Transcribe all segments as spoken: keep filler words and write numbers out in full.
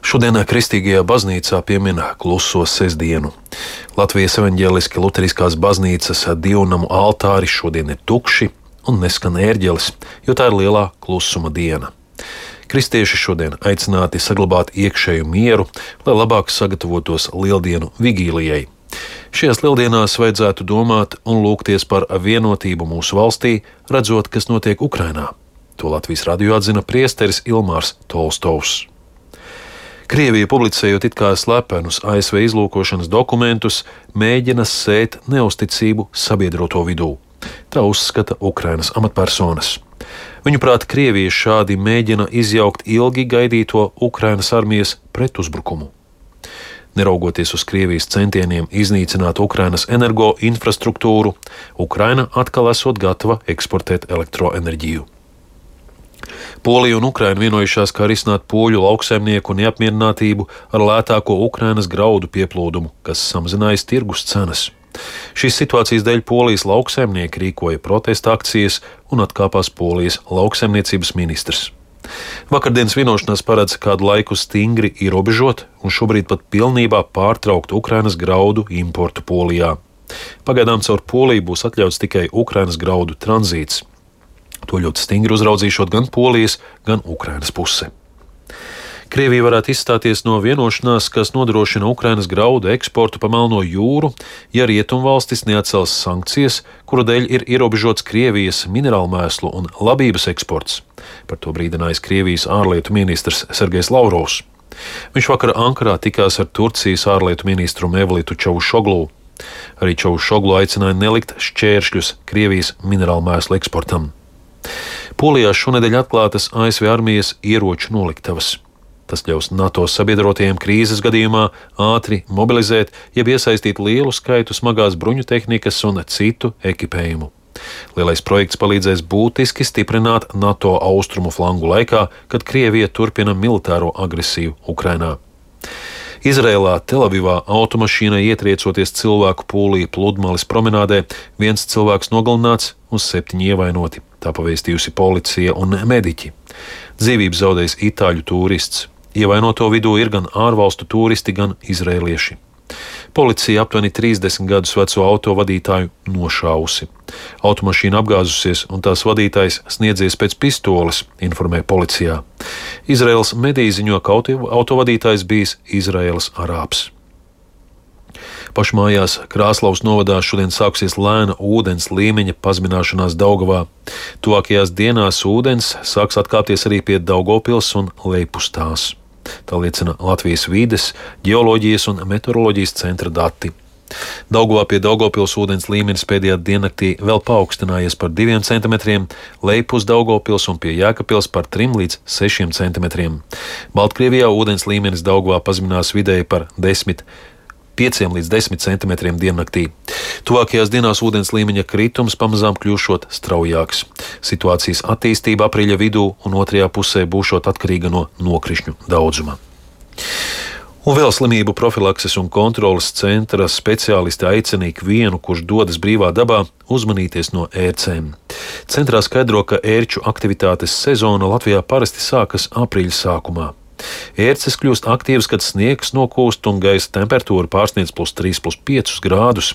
Šodien Kristīgajā baznīcā piemin kluso sestdienu. Latvijas evaņģēliski luteriskās baznīcas divnamu altāri šodien ir tukši un neskan ērģelis, jo tā ir lielā klusuma diena. Kristieši šodien aicināti saglabāt iekšēju mieru, lai labāk sagatavotos lieldienu vigīlijai. Šajās lieldienās vajadzētu domāt un lūgties par vienotību mūsu valstī, redzot, kas notiek Ukrainā. To Latvijas radio atzina priesteris Ilmārs Tolstovs. Krievija, publicējot it kā slepenus A S V izlūkošanas dokumentus, mēģina sēt neusticību sabiedroto vidū. Tā uzskata Ukrainas amatpersonas. Viņuprāt, Krievija šādi mēģina izjaukt ilgi gaidīto Ukrainas armijas pretuzbrukumu. Neraugoties uz Krievijas centieniem iznīcināt Ukrainas energoinfrastruktūru, Ukraina atkal esot gatava eksportēt elektroenerģiju. Polija un Ukraina vienojušās, kā risināt poļu lauksaimnieku neapmierinātību ar lētāko Ukrainas graudu pieplūdumu, kas samazinājas tirgus cenas. Šīs situācijas dēļ Polijas lauksaimnieki rīkoja protesta akcijas un atkāpās Polijas lauksaimniecības ministrs. Vakardienas vienošanās paredz kādu laiku stingri ierobežot un šobrīd pat pilnībā pārtraukt Ukrainas graudu importu Polijā. Pagaidām caur Poliju būs atļauts tikai Ukrainas graudu tranzīts. To ļoti stingri uzraudzīšot gan Polijas, gan Ukrainas puse. Krievija varētu izstāties no vienošanās, kas nodrošina Ukrainas graudu eksportu pa Melno jūru, ja rietumvalstis neatcels sankcijas, kuru dēļ ir ierobežots Krievijas minerālmēslu un labības eksports. Par to brīdinājis Krievijas ārlietu ministrs Sergejs Lavrovs. Viņš vakar Ankarā tikās ar Turcijas ārlietu ministru Mevlitu Čavušoglu. Arī Čavušoglu aicināja nelikt šķēršļus Krievijas minerālmēslu eksportam. Polijā šonedēļ atklātas A S V armijas ieroču noliktavas. Tas ļaus NATO sabiedrotajiem krīzes gadījumā ātri mobilizēt, jeb iesaistīt lielu skaitu smagās bruņu tehnikas un citu ekipējumu. Lielais projekts palīdzēs būtiski stiprināt NATO austrumu flangu laikā, kad Krievija turpina militāro agresiju Ukrainā. Izrēlā Telavivā automašīnai ietriecoties cilvēku pūlī pludmales promenādē, viens cilvēks nogalināts un septiņi ievainoti. Tā pavēstījusi policija un mediķi. Dzīvību zaudējis itāļu turists. Ievainoto vidū ir gan ārvalstu turisti, gan izrēlieši. Policija aptuveni trīsdesmit gadus veco autovadītāju nošāvusi. Automašīna apgāzusies un tās vadītājs sniedzies pēc pistoles, informē policijā. Izraēlas mediji ziņo, ka autovadītājs bijis Izraēlas arābs. Pašmājās Krāslavas novadā šodien sāksies lēna ūdens līmeņa pazemināšanās Daugavā. Tuvākajās dienās ūdens sāks atkāpties arī pie Daugavpils un Leipustās. Tā liecina Latvijas vides, ģeoloģijas un meteoroloģijas centra dati. Daugavā pie Daugavpils ūdens līmenis pēdējā diennaktī vēl paaugstinājies par diviem centimetriem, Leipus Daugavpils un pie Jēkabpils par trim līdz sešiem centimetriem. Baltkrievijā ūdens līmenis Daugavā pazeminās vidēji par desmit pieciem līdz desmit centimetriem diennaktī. Tuvākajās dienās ūdens līmeņa kritums pamazām kļūšot straujāks. Situācijas attīstība aprīļa vidū un otrajā pusē būšot atkarīga no nokrišņu daudzuma. Un vēl slimību profilakses un kontroles centra speciālisti aicina ikvienu, kurš dodas brīvā dabā, uzmanīties no ērcēm. Centrā skaidro, ka ērču aktivitātes sezona Latvijā parasti sākas aprīļa sākumā. Ērces kļūst aktīvas, kad sniegs nokūst un gaisa temperatūra pārsniedz plus trīs, plus piecus grādus.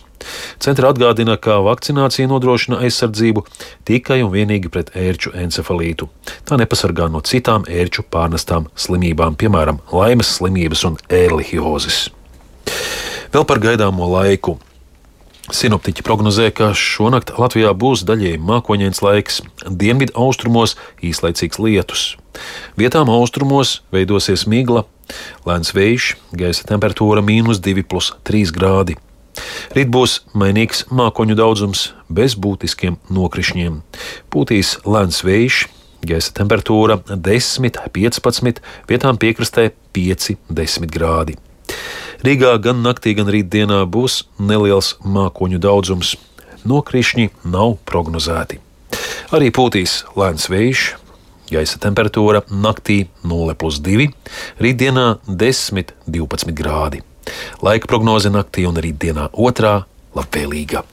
Centra atgādina, ka vakcinācija nodrošina aizsardzību tikai un vienīgi pret ērču encefalītu. Tā nepasargā no citām ērču pārnestām slimībām, piemēram, laimes slimības un ērlihiozes. Vēl par gaidāmo laiku. Sinoptiķi prognozē, ka šonakt Latvijā būs daļēji mākoņains laiks, dienvidu austrumos īslaicīgs lietus. Vietām austrumos veidosies migla, lēns vējš, gaisa temperatūra mīnus divi plus trīs grādi. Rīt būs mainīgs mākoņu daudzums bez būtiskiem nokrišņiem. Pūtīs lēns vējš, gaisa temperatūra desmit, piecpadsmit, vietām piekrastē pieci, desmit grādi. Rīgā gan naktī, gan rītdienā būs neliels mākoņu daudzums. Nokrišņi nav prognozēti. Arī pūtīs lēns vējš, gaisa temperatūra naktī nulle plus divi, rītdienā desmit, divpadsmit grādi. Laika prognoze naktī un rītdienā otrā labvēlīga.